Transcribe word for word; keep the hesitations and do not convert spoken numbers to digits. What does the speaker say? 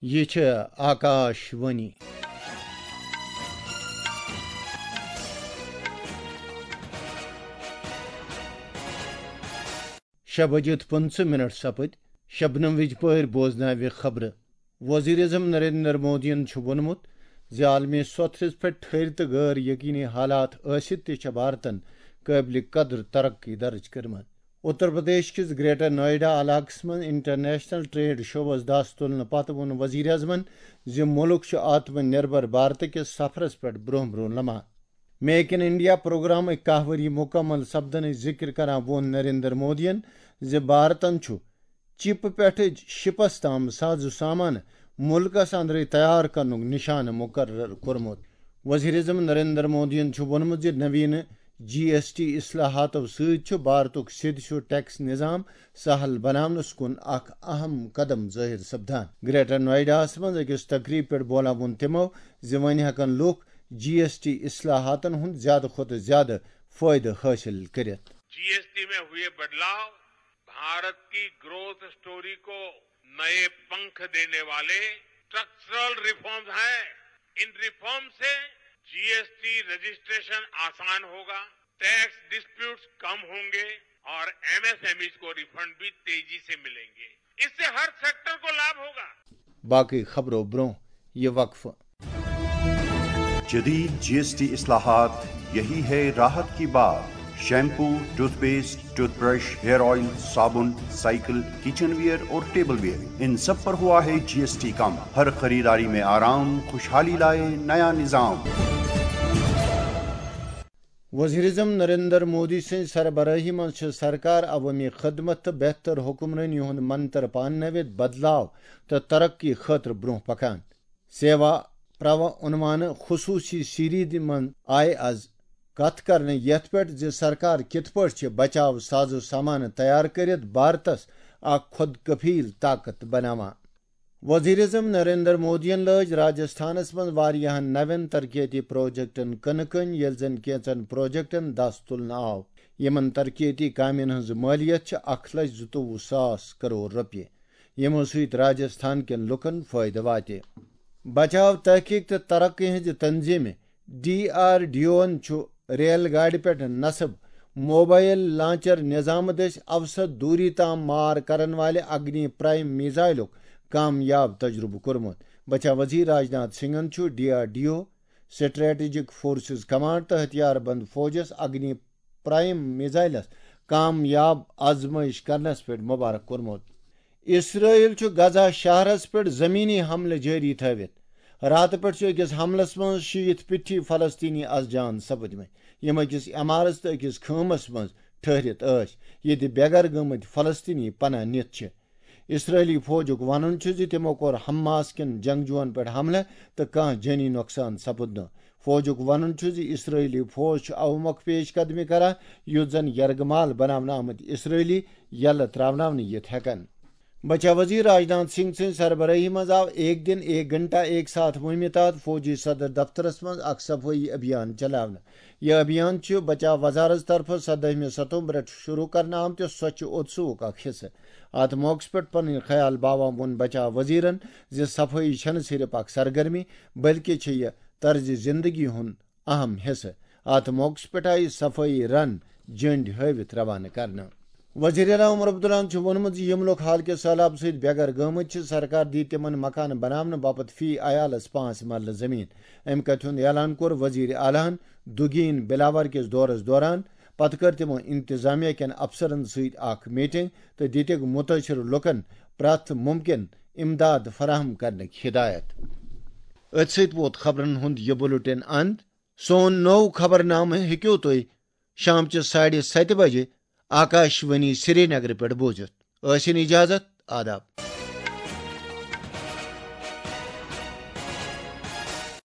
یہِ چھِ آکاش وانی۔ شےٚ بجے تہٕ پٕنٛژٕہ منٹ سپٕدۍ۔ شبنم وِجپٲرۍ بوزناوِ خبرٕ۔ وزیر اعظم نریندر مودیَن چھُ ووٚنمُت زِ عالمی سطحس پٮ۪ٹھ ٹھٔہرۍ تہٕ غٲر یقینی حالات ٲسِتھ تہِ چھےٚ بھارتن قٲبلِ قدر ترقی درج کٔرمٕژ۔ اتر پردیش کِس گریٹر نوئیڈا علاقس منٛز انٹرنیشنل ٹریڈ شووَس دَس تُلنہٕ پتہٕ ووٚن وزیر اعظمن زِ مُلک چھُ آتم نربھر بھارت کِس سفرس پٮ۪ٹھ برٛونٛہہ برٛونٛہہ لمان۔ میک ان انڈیا پروگرامٕکۍ کاہ ؤری مُکمل سپدنٕچ ذِکر کران ووٚن نریندر مودیَن زِ بھارتن چھُ چِپہٕ پٮ۪ٹھٕ شِپس تام ساز و سامان مُلکس اندرٕے تیار کرنُک نشانہٕ مُقرر کوٚرمُت۔ وزیر اعظم نریندر مودیَن چھُ ووٚنمُت زِ نویٖنہٕ جی ایس ٹی اصلاحاتو سۭتۍ چھُ بھارتُک سیٚدِ سیوٚد ٹیکس نظام سہل بناونس کُن اکھ اہم قدم ظٲہِر سپدان۔ گریٹر نوئیڈاہس منٛز أکِس تقریب پٮ۪ٹھ بولان ووٚن تِمو زِ وۄنۍ ہٮ۪کن لوٗکھ جی ایس ٹی اصلاحاتن ہُنٛد زیادٕ کھۄتہٕ زیادٕ فٲیدٕ حٲصِل کٔرِتھ۔ जीएसटी में हुए बदलाव भारत की ग्रोथ स्टोरी को नए पंख देने वाले स्ट्रक्चरल रिफॉर्म्स हैं। इन रिफॉर्म से जीएसटी रजिस्ट्रेशन आसान होगा, टैक्स डिस्प्यूट्स कम होंगे और एमएसएमईज को रिफंड भी तेजी से मिलेंगे। इससे हर सेक्टर को लाभ होगा। باقٕے خبرو برٛونٛہہ یہِ وقفہٕ۔ جدید جی ایس ٹی اصلاحات، یہی ہے راحت کی بات۔ Shampoo, toothpaste, toothbrush, hair oil, صابن، سائیکل، کچن ویئر اور ٹیبل ویئر، ان سب پر ہوا ہے جی ایس ٹی کم۔ ہر خریداری میں آرام، خوشحالی لائے نیا نظام۔ وزیر اعظم نریندر مودی سٕنٛزِ سربرٲہی منٛز چھِ سرکار عوٲمی خدمت تہٕ بہتر حکمرٲنی ہُنٛد منتر پاننٲوِتھ بدلاو تہٕ ترقی خٲطرٕ برٛونٛہہ پکان۔ سیوا پروا عنوانہٕ خصوٗصی سیریز منٛز آیہِ از کتھ کرنہٕ یتھ پٮ۪ٹھ زِ سرکار کِتھ پٲٹھۍ چھِ بچاو ساز و سامان تیار کٔرِتھ بھارتس اکھ خود کفیل طاقت بناوان۔ وزیر اعظم نریندر مودیَن لٲج راجستھانس منٛز واریاہن نوٮ۪ن ترقیتی پروجیکٹن کٕنہٕ کٔنۍ، ییٚلہِ زن کینٛژن پروجیکٹن دس تُلنہٕ آو۔ یِمن ترقیتی کامٮ۪ن ہٕنٛز مٲلیت چھِ اکھ لچھ زٕتووُہ ساس کرور رۄپیہِ، یِمو سۭتۍ راجستھان کٮ۪ن لوٗکن فٲیدٕ واتہِ۔ بچاو، تحقیق تہٕ ترقی ہٕنٛزِ تنظیمہِ ڈی آر ڈی اوَن چھُ ریل گاڑِ پٮ۪ٹھ نصب موبائل لانچر نظامہٕ دٔسۍ اوسط دوٗری تام مار کرن والہِ اگنی پرائم میزائلُک کامیاب تجربہٕ کوٚرمُت۔ بچاو وزیر راجناتھ سنگھن چھُ D R D O, strategic forces command تہٕ ہتھیار بند فوجس اگنی پرائم میزائلس کامیاب آزمائش کرنس پٮ۪ٹھ مبارک کوٚرمُت۔ اسرائیل چھُ غزہ شہرس پٮ۪ٹھ زمینی حملہٕ جٲری تھٲوِتھ۔ راتہٕ پٮ۪ٹھ چھُ أکِس حملس منٛز شیٖتھ پِٹھی فلسطینی از جان سپٕدمٕتۍ، یِم أکِس عمارژ تہٕ أکِس خٲمس منٛز ٹھٔہرِتھ ٲسۍ، ییٚتہِ بے گھر گٔمٕتۍ فلسطینی پناہ نِتھ چھِ۔ اسرائیلی فوجُک وَنُن چھُ زِ تِمو کوٚر حماس کٮ۪ن جنگجوٗوَن پٮ۪ٹھ حملہٕ تہٕ کانٛہہ جٲنی نۄقصان سپُد نہٕ۔ فوجُک وَنُن چھُ زِ اسرائیلی فوج چھُ اَوٕ مۄکھٕ پیش قدمی کران، یُتھ زَن یرغمال بناونہٕ آمٕتۍ اسرائیلی یَلہٕ ترٛاوناونہٕ یِتھ ہٮ۪کَن۔ بچاو وزیر راجناتھ سنگھ سٕنٛزِ سربرٲہی منٛز آو ایک دن ایک گھنٹہ ایک ساتھ مُہِمہِ تحت فوجی صدر دفترس منٛز اکھ صفٲیی ابھیان چلاونہٕ۔ یہِ ابھیان چھُ بچاو وزارت طرفہٕ سدٲہمہِ ستمبرس شروع کرنہٕ آمتہِ سوچھ اتسوُک اکھ حصہٕ۔ اتھ موقعس پٮ۪ٹھ پنٕنۍ خیال باوان ووٚن بچاو وزیرن زِ صفٲیی چھنہٕ صرف اکھ سرگرمی، بلکہِ چھِ یہِ طرزِ زندگی ہُنٛد اہم حصہٕ۔ اتھ موقعس پٮ۪ٹھ آیہِ صفٲیی رن جٔنڈۍ ہٲوِتھ روانہٕ کرنہٕ۔ وزیر اعلیٰ عمر عبداللہن چھُ ووٚنمُت زِ یِم لُکھ حالکہِ سٔہلاب سۭتۍ بے گھر گٔمٕتۍ چھِ، سرکار دِیہِ تِمن مکانہٕ بناونہٕ باپتھ فی عیالس پانٛژھ مرلہٕ زٔمیٖن۔ امہِ کتھِ ہُنٛد اعلان کوٚر وزیر اعلیٰ ہن دُگین بلاور کِس دورس دوران۔ پتہٕ کٔر تِمو انتظامیہ کٮ۪ن افسرن سۭتۍ اکھ میٹنگ تہٕ دِتِکھ مُتٲثِر لُکن پرٛٮ۪تھ مُمکِن امداد فراہم کرنٕکۍ ہدایت۔ أتھۍ سۭتۍ ووت خبرن ہُنٛد یہِ بُلٹن اند۔ سون نوٚو خبرنامہٕ ہیٚکِو تُہۍ شامچہِ ساڑِ ستہِ بجہِ آکاش وانی سرینگرٕ پٮ۪ٹھ بوٗزِتھ۔ ٲسِن اجازت، آداب۔